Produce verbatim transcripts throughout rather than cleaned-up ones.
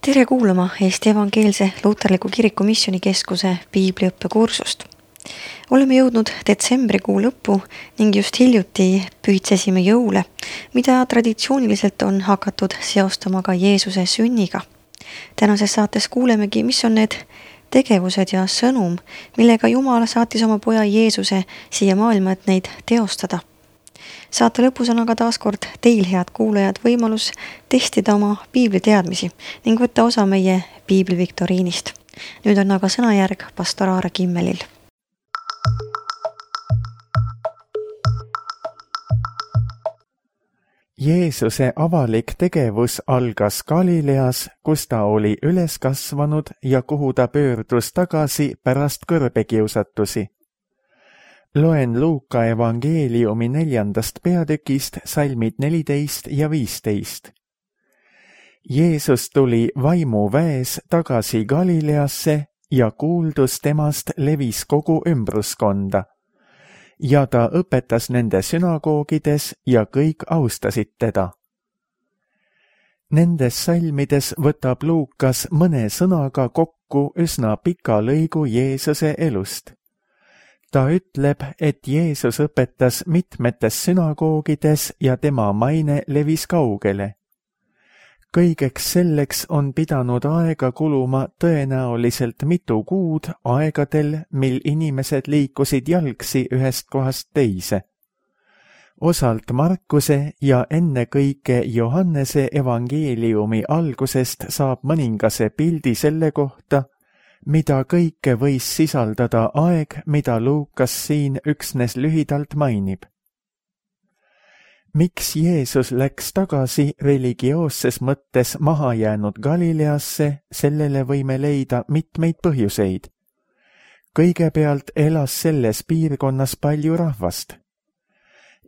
Tere kuulama Eesti Evangeelse Luterliku Kiriku Missioonikeskuse piibliõppekursust. Oleme jõudnud detsembrikuu lõppu ning just hiljuti pühitsesime jõule, mida traditsiooniliselt on hakatud seostama ka Jeesuse sünniga. Tänases saates kuulemegi, mis on need tegevused ja sõnum, millega Jumal saatis oma poja Jeesuse siia maailma, et neid teostada. Saate lõpus on aga taas kord teil, head kuulajad, võimalus testida oma piibliteadmisi ning võtta osa meie piibliviktoriinist. Nüüd on aga sõnajärg pastor Aare Kimmelil. Jeesuse avalik tegevus algas Galileas, kus ta oli üles kasvanud ja kuhu ta pöördus tagasi pärast kõrbekiusatusi. Loen Luuka evangeeliumi neljandast peatükist salmid neliteist ja viisteist. Jeesus tuli vaimuväes tagasi Galileasse ja kuuldus temast levis kogu ümbruskonda. Ja ta õpetas nende sünagoogides ja kõik austasid teda. Nendes salmides võtab Luukas mõne sõnaga kokku üsna pika lõigu Jeesuse elust. Ta ütleb, et Jeesus õpetas mitmetes sünagoogides ja tema maine levis kaugele. Kõigeks selleks on pidanud aega kuluma tõenäoliselt mitu kuud aegadel, mil inimesed liikusid jalgsi ühest kohast teise. Osalt Markuse ja ennekõike Johannese evangeeliumi algusest saab mõningase pildi selle kohta, mida kõike võis sisaldada aeg, mida Luukas siin üksnes lühidalt mainib. Miks Jeesus läks tagasi religioosses mõttes mahajäänud Galileasse, sellele võime leida mitmeid põhjuseid. Kõigepealt elas selles piirkonnas palju rahvast.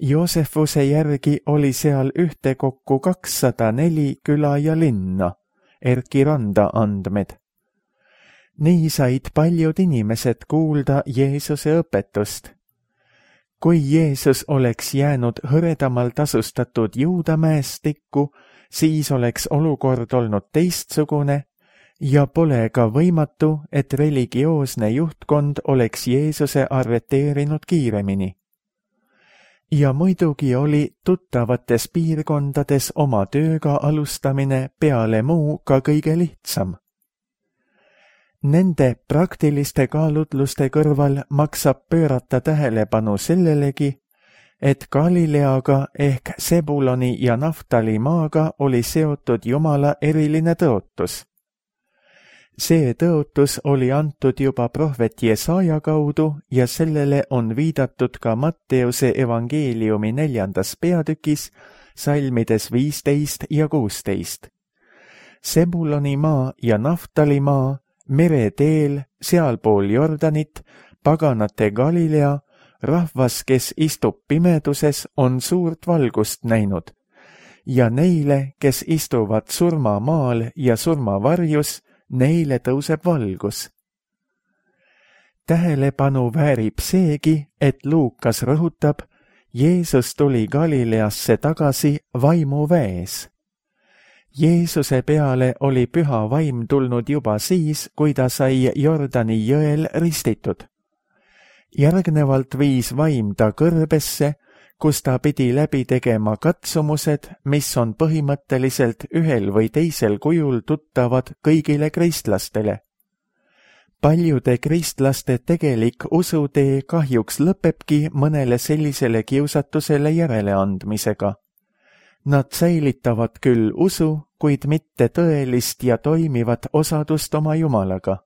Joosefuse järgi oli seal ühtekokku kakssada neli küla ja linna, Erki Randa andmed. Nii said paljud inimesed kuulda Jeesuse õpetust. Kui Jeesus oleks jäänud hõredamal tasustatud Juudamäestikku, siis oleks olukord olnud teistsugune ja pole ka võimatu, et religioosne juhtkond oleks Jeesuse arreteerinud kiiremini. Ja muidugi oli tuttavates piirkondades oma tööga alustamine peale muu ka kõige lihtsam. Nende praktiliste kaalutluste kõrval maksab pöörata tähelepanu sellelegi, et Galileaga ehk Sebuloni ja Naftali maaga oli seotud Jumala eriline tõotus. See tõotus oli antud juba prohvet Jesaja kaudu ja sellele on viidatud ka Matteuse evangeeliumi neljandas peatükis, salmides viisteist ja kuusteist. Sebuloni maa ja Naftali maa, mereteel, sealpool Jordanit, paganate Galilea, rahvas, kes istub pimeduses, on suurt valgust näinud. Ja neile, kes istuvad surmamaal ja surmavarjus, neile tõuseb valgus. Tähelepanu väärib seegi, et Luukas rõhutab, Jeesus tuli Galileasse tagasi vaimuväes. Jeesuse peale oli püha vaim tulnud juba siis, kui ta sai Jordani jõel ristitud. Järgnevalt viis vaim ta kõrbesse, kus ta pidi läbi tegema katsumused, mis on põhimõtteliselt ühel või teisel kujul tuttavad kõigile kristlastele. Paljude kristlaste tegelik usutee kahjuks lõpebki mõnele sellisele kiusatusele järeleandmisega. Nad säilitavad küll usu, kuid mitte tõelist ja toimivat osadust oma Jumalaga.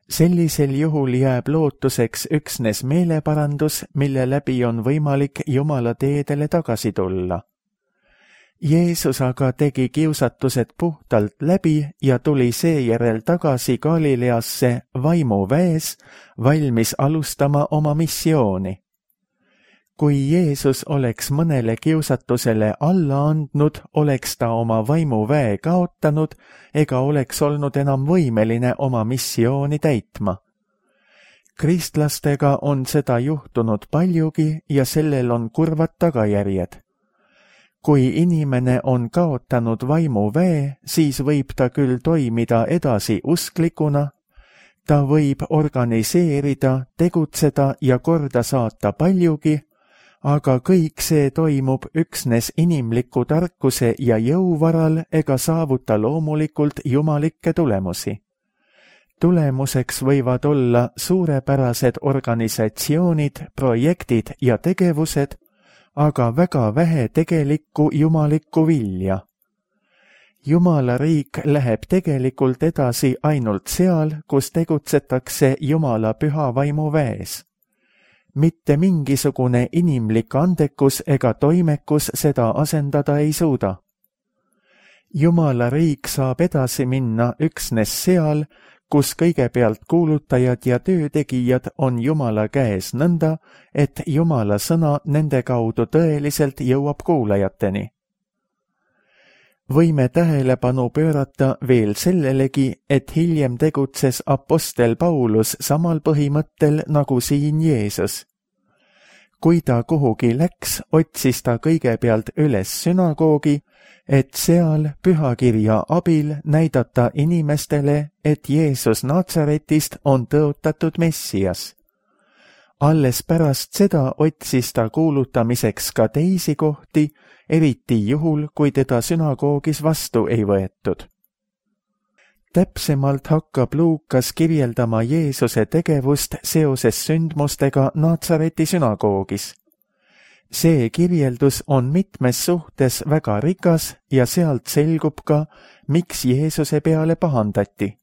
Sellisel juhul jääb lootuseks üksnes meeleparandus, mille läbi on võimalik Jumala teedele tagasi tulla. Jeesus aga tegi kiusatused puhtalt läbi ja tuli seejärel tagasi Galileasse vaimuväes, valmis alustama oma missiooni. Kui Jeesus oleks mõnele kiusatusele alla andnud, oleks ta oma vaimuväe kaotanud ega oleks olnud enam võimeline oma missiooni täitma. Kristlastega on seda juhtunud paljugi ja sellel on kurvad tagajärjed. kui inimene on kaotanud vaimuväe, siis võib ta küll toimida edasi usklikuna, ta võib organiseerida, tegutseda ja korda saata paljugi, aga kõik see toimub üksnes inimliku tarkuse ja jõu varal ega saavuta loomulikult jumalikke tulemusi. Tulemuseks võivad olla suurepärased organisatsioonid, projektid ja tegevused, aga väga vähe tegelikku jumalikku vilja. Jumala riik läheb tegelikult edasi ainult seal, kus tegutsetakse Jumala püha vaimu väes. Mitte mingisugune inimlik andekus ega toimekus seda asendada ei suuda. Jumala riik saab edasi minna üksnes seal, kus kõigepealt kuulutajad ja töötegijad on Jumala käes nõnda, et Jumala sõna nende kaudu tõeliselt jõuab kuulajateni. Võime tähelepanu pöörata veel sellelegi, et hiljem tegutses apostel Paulus samal põhimõttel nagu siin Jeesus. Kui ta kuhugi läks, otsis ta kõigepealt üles sünagoogi, et seal pühakirja abil näidata inimestele, et Jeesus Natsaretist on tõotatud Messias. Alles pärast seda otsis ta kuulutamiseks ka teisi kohti, eriti juhul, kui teda sünagoogis vastu ei võetud. Täpsemalt hakkab Luukas kirjeldama Jeesuse tegevust seoses sündmustega Natsareti sünagoogis. See kirjeldus on mitmes suhtes väga rikas ja sealt selgub ka, miks Jeesuse peale pahandati.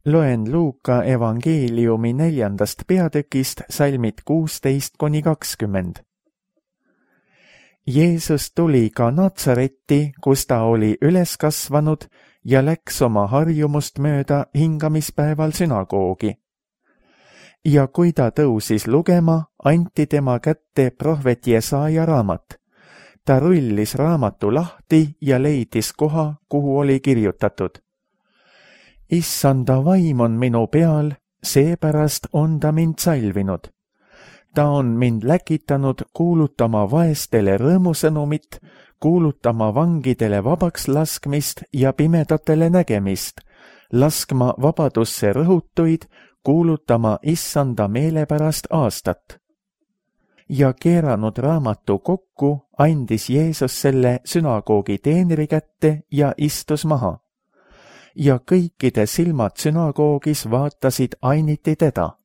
Loen Luuka evangeeliumi neljandast peatükist salmid kuusteist kuni kakskümmend. Jeesus tuli ka Natsaretti, kus ta oli üles kasvanud ja läks oma harjumust mööda hingamispäeval sünagoogi. Ja kui ta tõusis lugema, anti tema kätte prohvet Jesaja raamat. Ta rullis raamatu lahti ja leidis koha, kuhu oli kirjutatud. Issanda vaim on minu peal, seepärast on ta mind salvinud. Ta on mind läkitanud kuulutama vaestele rõõmusõnumit, kuulutama vangidele vabaks laskmist ja pimedatele nägemist, laskma vabadusse rõhutuid, kuulutama issanda meelepärast aastat. Ja keeranud raamatu kokku, andis Jeesus selle sünagoogi teenri kätte ja istus maha. Ja kõikide silmad sünagoogis vaatasid ainiti teda.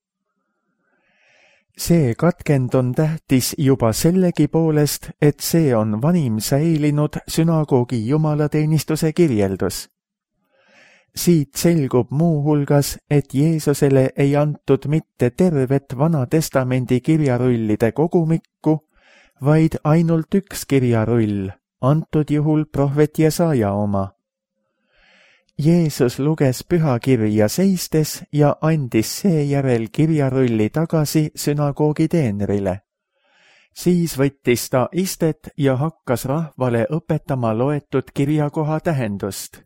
See katkend on tähtis juba sellegi poolest, et see on vanim säilinud sünagoogi jumalateenistuse kirjeldus. Siit selgub muu hulgas, et Jeesusele ei antud mitte tervet Vana Testamendi kirjarullide kogumikku, vaid ainult üks kirjarull, antud juhul prohvet Jesaja oma. Jeesus luges pühakirja seistes ja andis seejärel kirjarulli tagasi sünagoogi teenrile. Siis võttis ta istet ja hakkas rahvale õpetama loetud kirjakoha tähendust.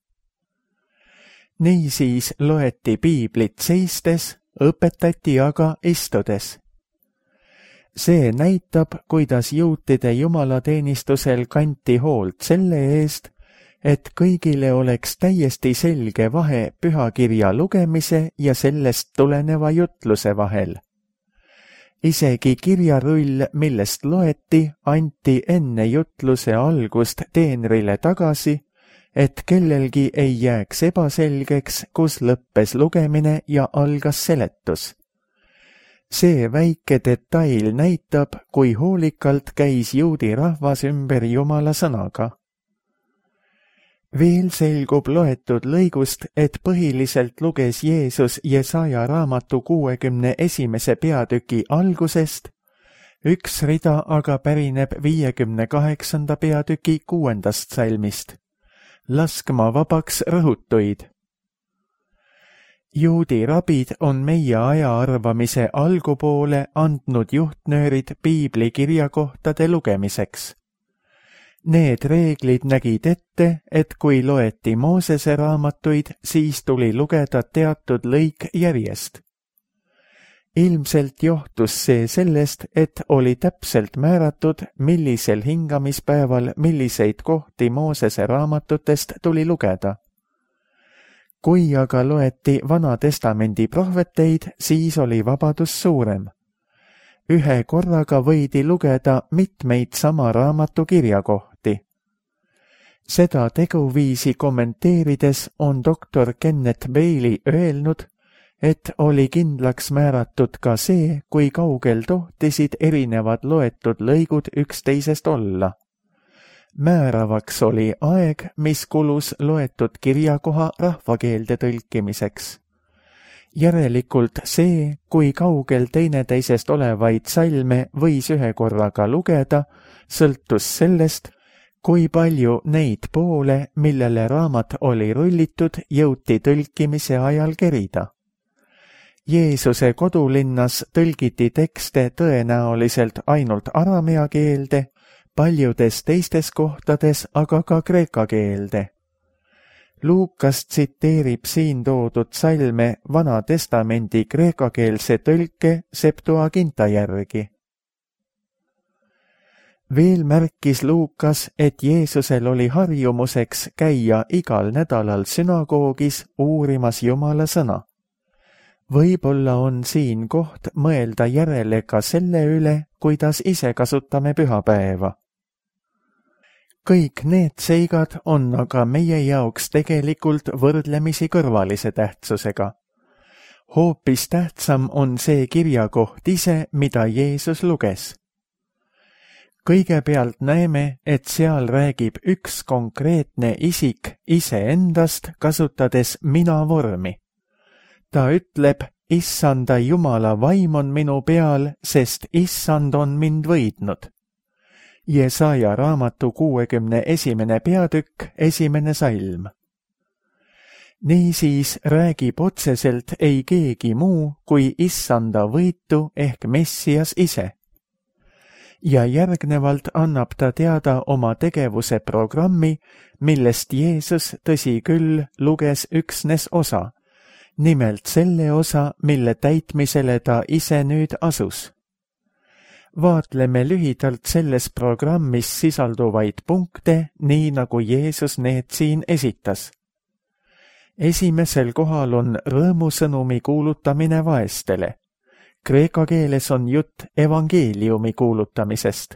Niisiis loeti piiblit seistes, õpetati aga istudes. See näitab, kuidas juutide jumalateenistusel kanti hoolt selle eest, et kõigile oleks täiesti selge vahe pühakirja lugemise ja sellest tuleneva jutluse vahel. Isegi kirjarull, millest loeti, anti enne jutluse algust teenrile tagasi, et kellelgi ei jääks ebaselgeks, kus lõppes lugemine ja algas seletus. See väike detail näitab, kui hoolikalt käis juudi rahvas ümber Jumala sõnaga. Veel selgub loetud lõigust, et põhiliselt luges Jeesus Jesaja raamatu kuuekümne esimese peatüki algusest, üks rida aga pärineb viiekümne kaheksanda peatüki kuuendast salmist. Laskma vabaks rõhutuid. Juudi rabid on meie aja arvamise algupoole andnud juhtnöörid piibli kirjakohtade lugemiseks. Need reeglid nägid ette, et kui loeti Moosese raamatuid, siis tuli lugeda teatud lõik järjest. ilmselt johtus see sellest, et oli täpselt määratud, millisel hingamispäeval milliseid kohti Moosese raamatutest tuli lugeda. Kui aga loeti Vana Testamendi prohveteid, siis oli vabadus suurem. Ühe korraga võidi lugeda mitmeid sama raamatu kirjakohti. Seda teguviisi kommenteerides on doktor Kenneth Bailey öelnud, et oli kindlaks määratud ka see, kui kaugel tohtisid erinevad loetud lõigud üksteisest olla. Määravaks oli aeg, mis kulus loetud kirjakoha rahvakeelde tõlkimiseks. Järelikult see, kui kaugel teineteisest olevaid salme võis ühe korraga lugeda, sõltus sellest, kui palju neid poole, millele raamat oli rullitud, jõuti tõlkimise ajal kerida. Jeesuse kodulinnas tõlgiti tekste tõenäoliselt ainult aramea keelde, paljudes teistes kohtades aga ka kreeka keelde. Luukas tsiteerib siin toodud salme Vana Testamendi kreekakeelse tõlke Septuaginta järgi. Veel märkis Luukas, et Jeesusel oli harjumuseks käia igal nädalal sünagoogis uurimas Jumala sõna. Võib-olla on siin koht mõelda järele ka selle üle, kuidas ise kasutame pühapäeva. Kõik need seigad on aga meie jaoks tegelikult võrdlemisi kõrvalise tähtsusega. Hoopis tähtsam on see kirjakoht ise, mida Jeesus luges. Kõigepealt näeme, et seal räägib üks konkreetne isik iseendast, kasutades mina vormi. Ta ütleb, Issanda Jumala vaim on minu peal, sest Issand on mind võidnud. Jesaja raamatu kuuekümne esimene peatükk, esimene salm. Niisiis räägib otseselt ei keegi muu kui Issanda võitu ehk Messias ise. Ja järgnevalt annab ta teada oma tegevuse programmi, millest Jeesus, tõsi küll, luges üksnes osa, nimelt selle osa, mille täitmisele ta ise nüüd asus. Vaatleme lühidalt selles programmis sisalduvaid punkte, nii nagu Jeesus need siin esitas. Esimesel kohal on rõõmusõnumi kuulutamine vaestele. Kreeka keeles on jutt evangeeliumi kuulutamisest.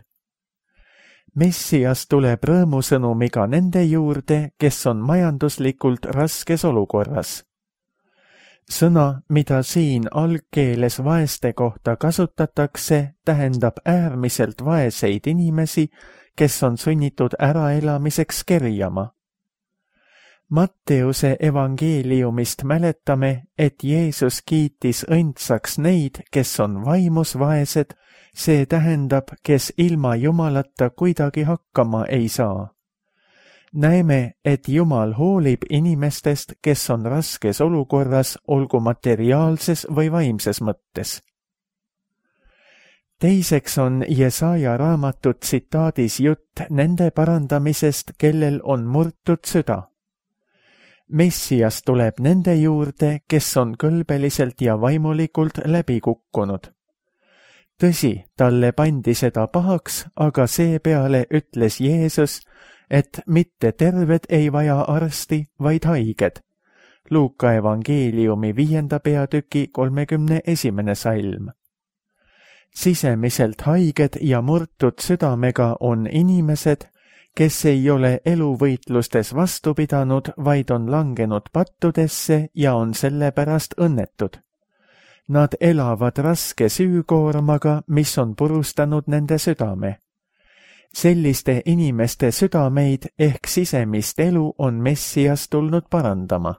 Messias tuleb rõõmusõnumiga nende juurde, kes on majanduslikult raskes olukorras. Sõna, mida siin algkeeles vaeste kohta kasutatakse, tähendab äärmiselt vaeseid inimesi, kes on sunnitud äraelamiseks kerjama. Matteuse evangeeliumist mäletame, et Jeesus kiitis õndsaks neid, kes on vaimus vaesed, see tähendab, kes ilma Jumalata kuidagi hakkama ei saa. Näeme, et Jumal hoolib inimestest, kes on raskes olukorras, olgu materiaalses või vaimses mõttes. Teiseks on Jesaja raamatu tsitaadis jutt nende parandamisest, kellel on murtud süda. Messias tuleb nende juurde, kes on kõlbeliselt ja vaimulikult läbi kukkunud. Tõsi, talle pandi seda pahaks, aga seepeale ütles Jeesus, et mitte terved ei vaja arsti, vaid haiged. Luuka evangeeliumi viienda peatüki kolmekümne esimene salm. Sisemiselt haiged ja murtud südamega on inimesed, kes ei ole eluvõitlustes vastu pidanud, vaid on langenud pattudesse ja on sellepärast õnnetud. Nad elavad raske süükoormaga, mis on purustanud nende südame. Selliste inimeste südameid ehk sisemist elu on Messias tulnud parandama.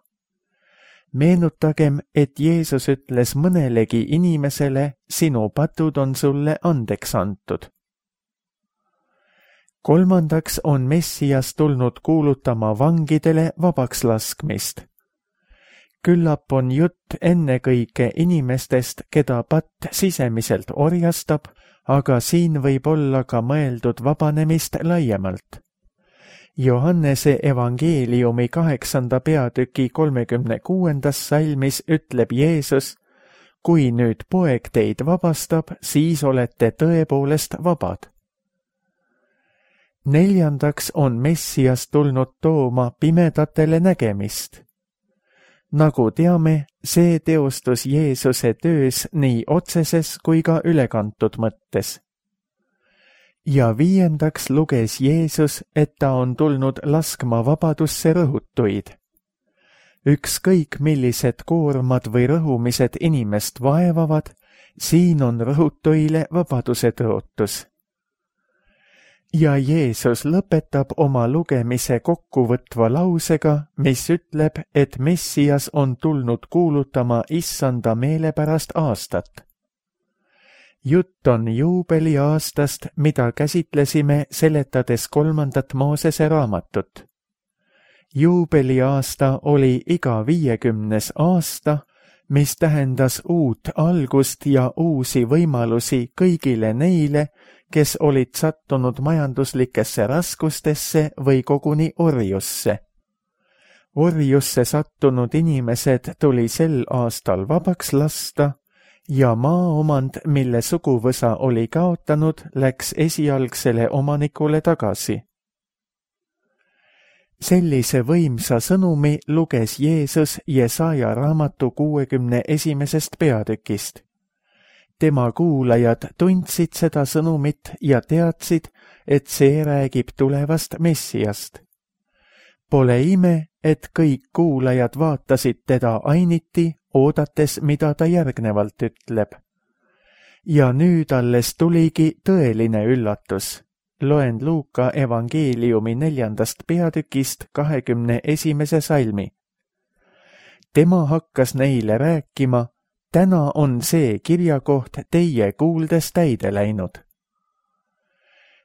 Meenutagem, et Jeesus ütles mõnelegi inimesele, sinu patud on sulle andeks antud. Kolmandaks on Messias tulnud kuulutama vangidele vabaks laskmist. Küllap on jutt ennekõike inimestest, keda patt sisemiselt orjastab, aga siin võib olla ka mõeldud vabanemist laiemalt. Johannese evangeeliumi kaheksanda peatüki kolmekümne kuuendas salmis ütleb Jeesus, kui nüüd poeg teid vabastab, siis olete tõepoolest vabad. Neljandaks on Messias tulnud tooma pimedatele nägemist. Nagu teame, see teostus Jeesuse töös nii otseses kui ka ülekantud mõttes. Ja viiendaks luges Jeesus, et ta on tulnud laskma vabadusse rõhutuid. Ükskõik millised koormad või rõhumised inimest vaevavad, siin on rõhutuile vabaduse tõotus. Ja Jeesus lõpetab oma lugemise kokkuvõtva lausega, mis ütleb, et Messias on tulnud kuulutama issanda meelepärast aastat. Jutt on juubeliaastast, mida käsitlesime seletades kolmandat Moosese raamatut. Juubeliaasta oli iga viiekümnes aasta, mis tähendas uut algust ja uusi võimalusi kõigile neile, kes olid sattunud majanduslikesse raskustesse või koguni orjusse. Orjusse sattunud inimesed tuli sel aastal vabaks lasta ja maaomand, mille suguvõsa oli kaotanud, läks esialgsele omanikule tagasi. Sellise võimsa sõnumi luges Jeesus Jesaja raamatu kuuekümne esimesest peatükist. Tema kuulajad tundsid seda sõnumit ja teadsid, et see räägib tulevast Messiast. Pole ime, et kõik kuulajad vaatasid teda ainiti, oodates, mida ta järgnevalt ütleb. Ja nüüd alles tuligi tõeline üllatus. Loen Luuka evangeeliumi neljandast peatükist kahekümne esimese salmi. Tema hakkas neile rääkima, täna on see kirjakoht teie kuuldes täide läinud.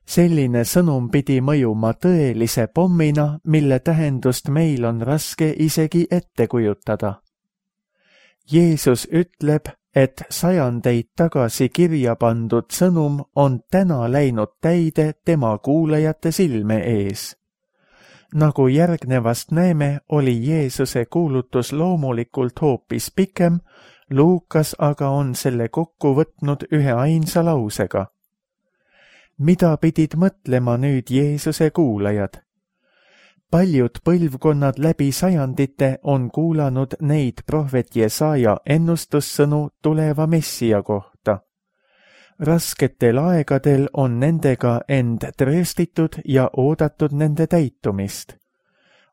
Selline sõnum pidi mõjuma tõelise pommina, mille tähendust meil on raske isegi ette kujutada. Jeesus ütleb, et sajandeid tagasi kirja pandud sõnum on täna läinud täide tema kuulajate silme ees. Nagu järgnevast näeme, oli Jeesuse kuulutus loomulikult hoopis pikem, Luukas aga on selle kokku võtnud ühe ainsa lausega. Mida pidid mõtlema nüüd Jeesuse kuulajad? Paljud põlvkonnad läbi sajandite on kuulanud neid prohvet Jesaja ennustussõnu tuleva Messia kohta. Rasketel aegadel on nendega end trööstitud ja oodatud nende täitumist.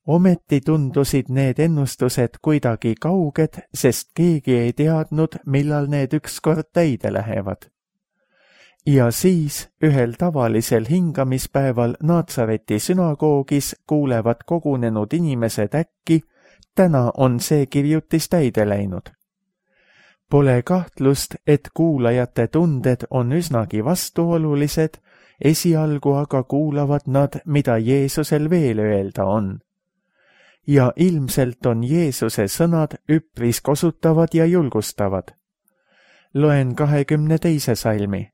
Ometi tundusid need ennustused kuidagi kauged, sest keegi ei teadnud, millal need ükskord täide lähevad. Ja siis ühel tavalisel hingamispäeval Naatsareti sünagoogis kuulevad kogunenud inimesed äkki, täna on see kirjutis täide läinud. Pole kahtlust, et kuulajate tunded on üsnagi vastuolulised, esialgu aga kuulavad nad, mida Jeesusel veel öelda on. Ja ilmselt on Jeesuse sõnad üpris kosutavad ja julgustavad. Loen kahekümne teise salmi.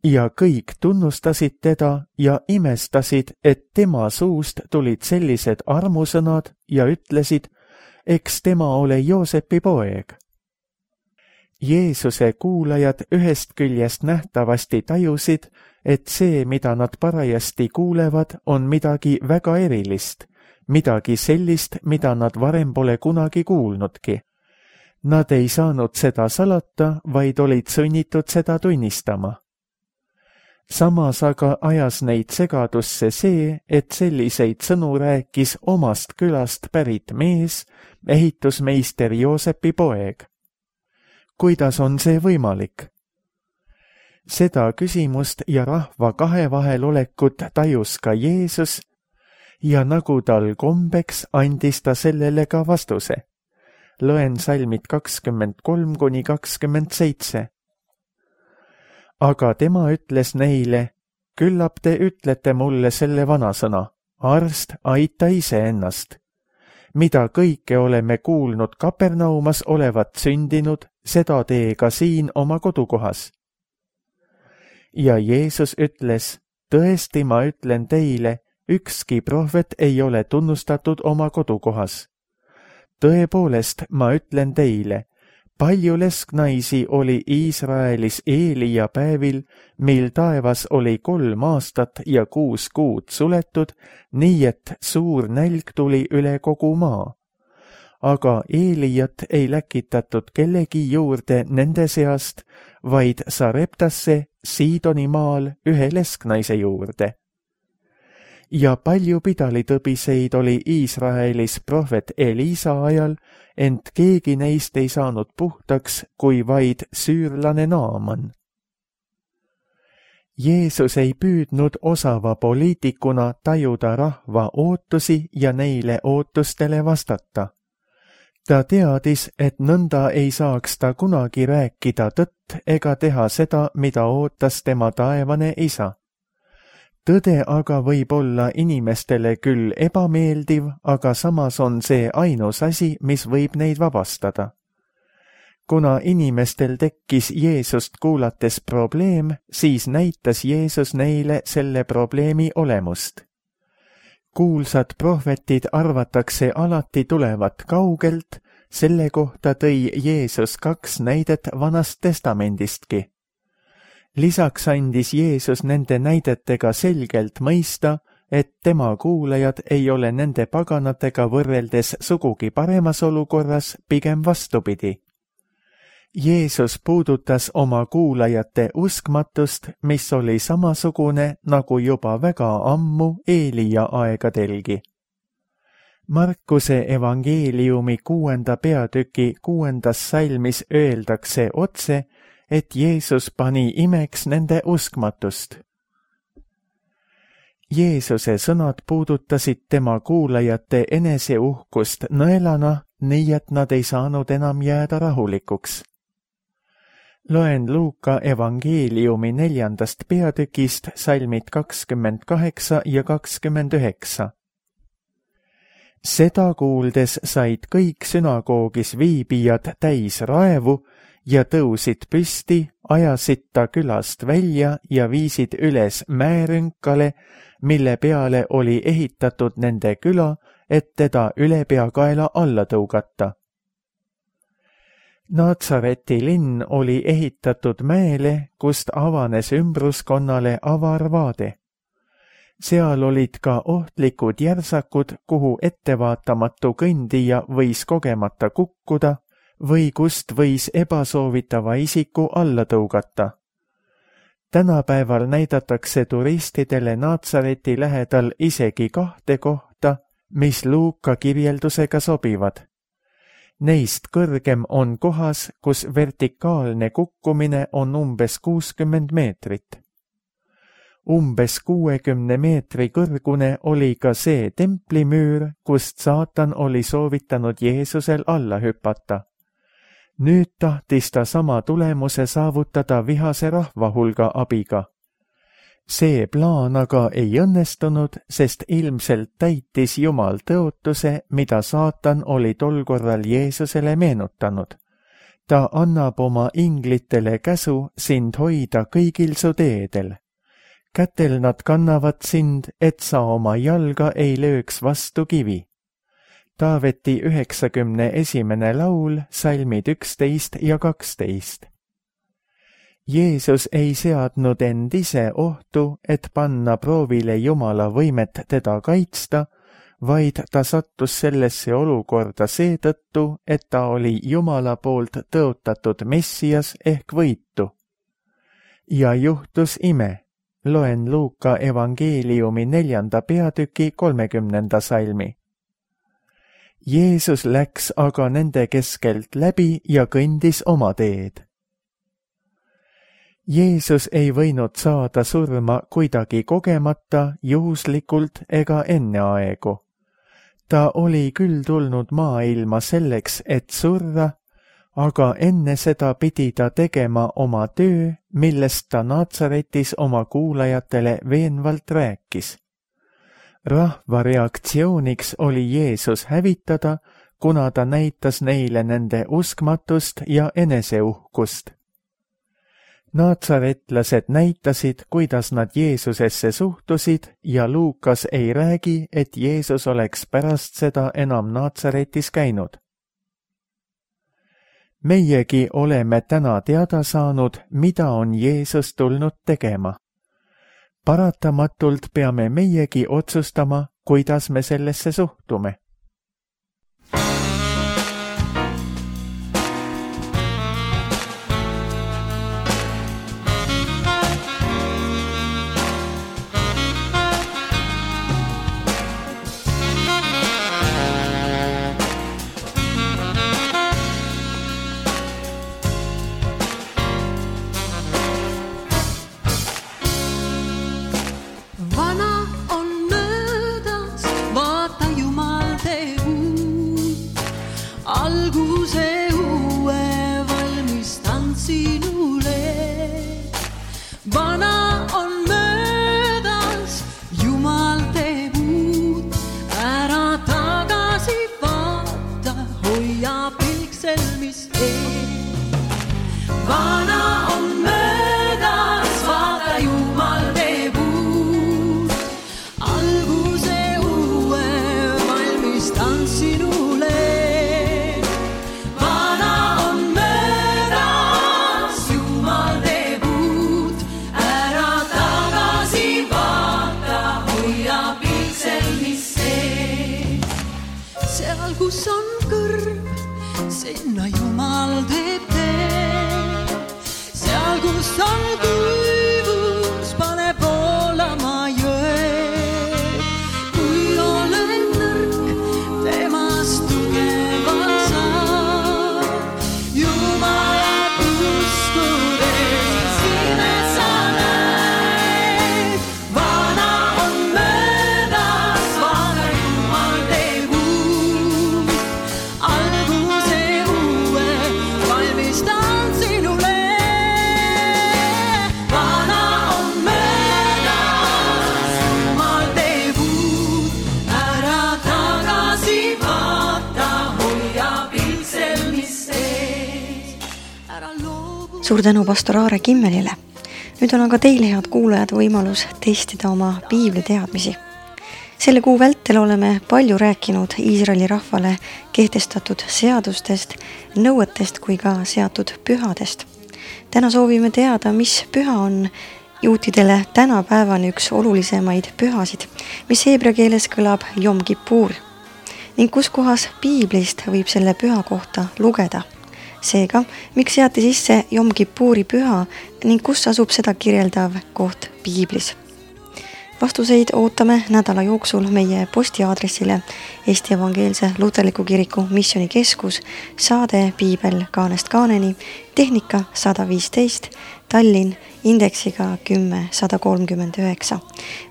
Ja kõik tunnustasid teda ja imestasid, et tema suust tulid sellised armusõnad ja ütlesid, eks tema ole Joosepi poeg. Jeesuse kuulajad ühest küljest nähtavasti tajusid, et see, mida nad parajasti kuulevad, on midagi väga erilist, midagi sellist, mida nad varem pole kunagi kuulnudki. Nad ei saanud seda salata, vaid olid sunnitud seda tunnistama. Samas aga ajas neid segadusse see, et selliseid sõnu rääkis omast külast pärit mees, ehitusmeister Joosepi poeg. Kuidas on see võimalik? Seda küsimust ja rahva kahe vahel olekut tajus ka Jeesus ja nagu tal kombeks andis ta sellele ka vastuse. Loen salmid kakskümmend kolm kuni kakskümmend seitse. Aga tema ütles neile, küllap te ütlete mulle selle vanasõna, arst, aita iseennast. Mida kõike oleme kuulnud Kapernaumas olevat sündinud, seda tee ka siin oma kodukohas. Ja Jeesus ütles, tõesti ma ütlen teile, ükski prohvet ei ole tunnustatud oma kodukohas. Tõepoolest ma ütlen teile, palju lesknaisi oli Iisraelis Eelia päevil, mil taevas oli kolm aastat ja kuus kuud suletud, nii et suur nälg tuli üle kogu maa. Aga Eeliat ei läkitatud kellegi juurde nende seast, vaid Sareptasse Siidoni maal ühe lesknaise juurde. Ja palju pidalitõbiseid oli Iisraelis prohvet Elisa ajal, ent keegi neist ei saanud puhtaks, kui vaid süürlane Naaman. Jeesus ei püüdnud osava poliitikuna tajuda rahva ootusi ja neile ootustele vastata. Ta teadis, et nõnda ei saaks ta kunagi rääkida tõtt ega teha seda, mida ootas tema taevane isa. Tõde aga võib olla inimestele küll ebameeldiv, aga samas on see ainus asi, mis võib neid vabastada. Kuna inimestel tekkis Jeesust kuulates probleem, siis näitas Jeesus neile selle probleemi olemust. Kuulsad prohvetid arvatakse alati tulevat kaugelt, selle kohta tõi Jeesus kaks näidet Vanast Testamendistki. Lisaks andis Jeesus nende näidetega selgelt mõista, et tema kuulajad ei ole nende paganatega võrreldes sugugi paremas olukorras, pigem vastupidi. Jeesus puudutas oma kuulajate uskmatust, mis oli samasugune nagu juba väga ammu Eelia aegadelgi. Markuse evangeeliumi kuuenda peatüki kuuendas salmis öeldakse otse, et Jeesus pani imeks nende uskmatust. Jeesuse sõnad puudutasid tema kuulajate eneseuhkust nõelana, nii et nad ei saanud enam jääda rahulikuks. Loen Luuka evangeeliumi neljandast peatükist salmid kakskümmend kaheksa ja kakskümmend üheksa. Seda kuuldes said kõik sünagoogis viibijad täis raevu ja tõusid püsti, ajasid ta külast välja ja viisid üles mäerünkale, mille peale oli ehitatud nende küla, et teda ülepeakaela alla tõugata. Naatsareti linn oli ehitatud mäele, kust avanes ümbruskonnale avar vaade. Seal olid ka ohtlikud järsakud, kuhu ettevaatamatu kõndija võis kogemata kukkuda või kust võis ebasoovitava isiku alla tõugata. Tänapäeval näidatakse turistidele Naatsareti lähedal isegi kahte kohta, mis Luuka kirjeldusega sobivad. Neist kõrgem on kohas, kus vertikaalne kukkumine on umbes kuuskümmend meetrit. Umbes kuuekümne meetri kõrgune oli ka see templimüür, kust saatan oli soovitanud Jeesusel alla hüpata. Nüüd tahtis ta sama tulemuse saavutada vihase rahva hulga abiga. See plaan aga ei õnnestunud, sest ilmselt täitis Jumal tõotuse, mida saatan oli tol korral Jeesusele meenutanud. Ta annab oma inglitele käsu sind hoida kõigil su teedel. Kätel nad kannavad sind, et sa oma jalga ei lööks vastu kivi. Taaveti üheksakümne esimene laul, salmid üksteist ja kaksteist. Jeesus ei seadnud end ise ohtu, et panna proovile Jumala võimet teda kaitsta, vaid ta sattus sellesse olukorda seetõttu, et ta oli Jumala poolt tõotatud Messias ehk võitu. Ja juhtus ime. Loen Luuka evangeeliumi neljanda peatüki kolmekümnenda salmi. Jeesus läks aga nende keskelt läbi ja kõndis oma teed. Jeesus ei võinud saada surma kuidagi kogemata, juhuslikult ega enneaegu. Ta oli küll tulnud maailma selleks, et surra, aga enne seda pidi ta tegema oma töö, millest ta Naatsaretis oma kuulajatele veenvalt rääkis. Rahva reaktsiooniks oli Jeesus hävitada, kuna ta näitas neile nende uskmatust ja eneseuhkust. Naatsaretlased näitasid, kuidas nad Jeesusesse suhtusid ja Luukas ei räägi, et Jeesus oleks pärast seda enam Naatsaretis käinud. meiegi oleme täna teada saanud, mida on Jeesus tulnud tegema. Paratamatult peame meiegi otsustama, kuidas me sellesse suhtume. Alguse uue valmistan sinule. Vana on möödas, Jumal teeb uut. Ära tagasi vaata, hoia pilk selmis ees. Vana on möödas, vaata Jumal teeb uut. Alguse uue valmistan sinule. Seal, kus on kõrv, sinna Jumal teeb tee. Seal, kus on kuivus, pane voolama jõe. Kui olen nõrk, temast tugeval saab. Jumalat uskudes imes sa näed. Vana on möödas, vaata Jumal teeb uut. Alguse uue valmistan sinule. Vana on möödas, Jumal teeb uut. Ära tagasi vaata, hoia pilk selmis sees. Ära loobu. Suur tänu pastor Aare Kimmelile. Nüüd on aga teil, head kuulajad, võimalus testida oma piibli teadmisi. Selle kuu vältel oleme palju rääkinud Iisraeli rahvale kehtestatud seadustest, nõuetest kui ka seatud pühadest. Täna soovime teada, mis püha on juutidele tänapäevani üks olulisemaid pühasid, mis heebrea keeles kõlab Jom Kippur, ning kus kohas piiblist võib selle püha kohta lugeda. Seega, miks seati sisse Jom Kippuri püha ning kus asub seda kirjeldav koht piiblis? Vastuseid ootame nädala jooksul meie postiaadressile Eesti Evangeelse Luterliku Kiriku Missioonikeskus, saade Piibel kaanest kaaneni, tehnika sada viisteist, Tallinn, indeksiga kümme sada kolmkümmend üheksa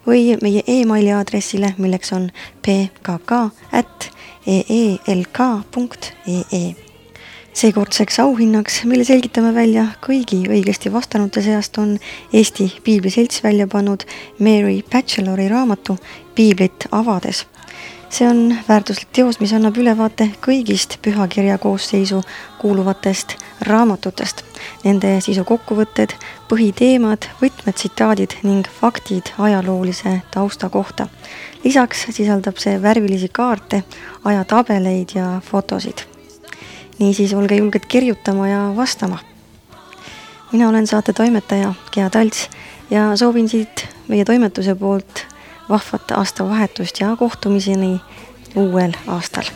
või meie e-maili aadressile, milleks on p k k at e e l k punkt e e. Seekordseks auhinnaks, mille selgitame välja kõigi õigesti vastanute seast, on Eesti Piibliselts välja pannud Mary Batchelori raamatu Piiblit avades. See on väärtuslik teos, mis annab ülevaate kõigist pühakirja koosseisu kuuluvatest raamatutest. Nende sisu kokkuvõtted, põhiteemad, võtmetsitaadid ning faktid ajaloolise tausta kohta. Lisaks sisaldab see värvilisi kaarte, ajatabeleid ja fotosid. Niisiis olge julged kirjutama ja vastama. Mina olen saate toimetaja Gea Talts ja soovin siit meie toimetuse poolt vahvat aastavahetust ja kohtumiseni uuel aastal.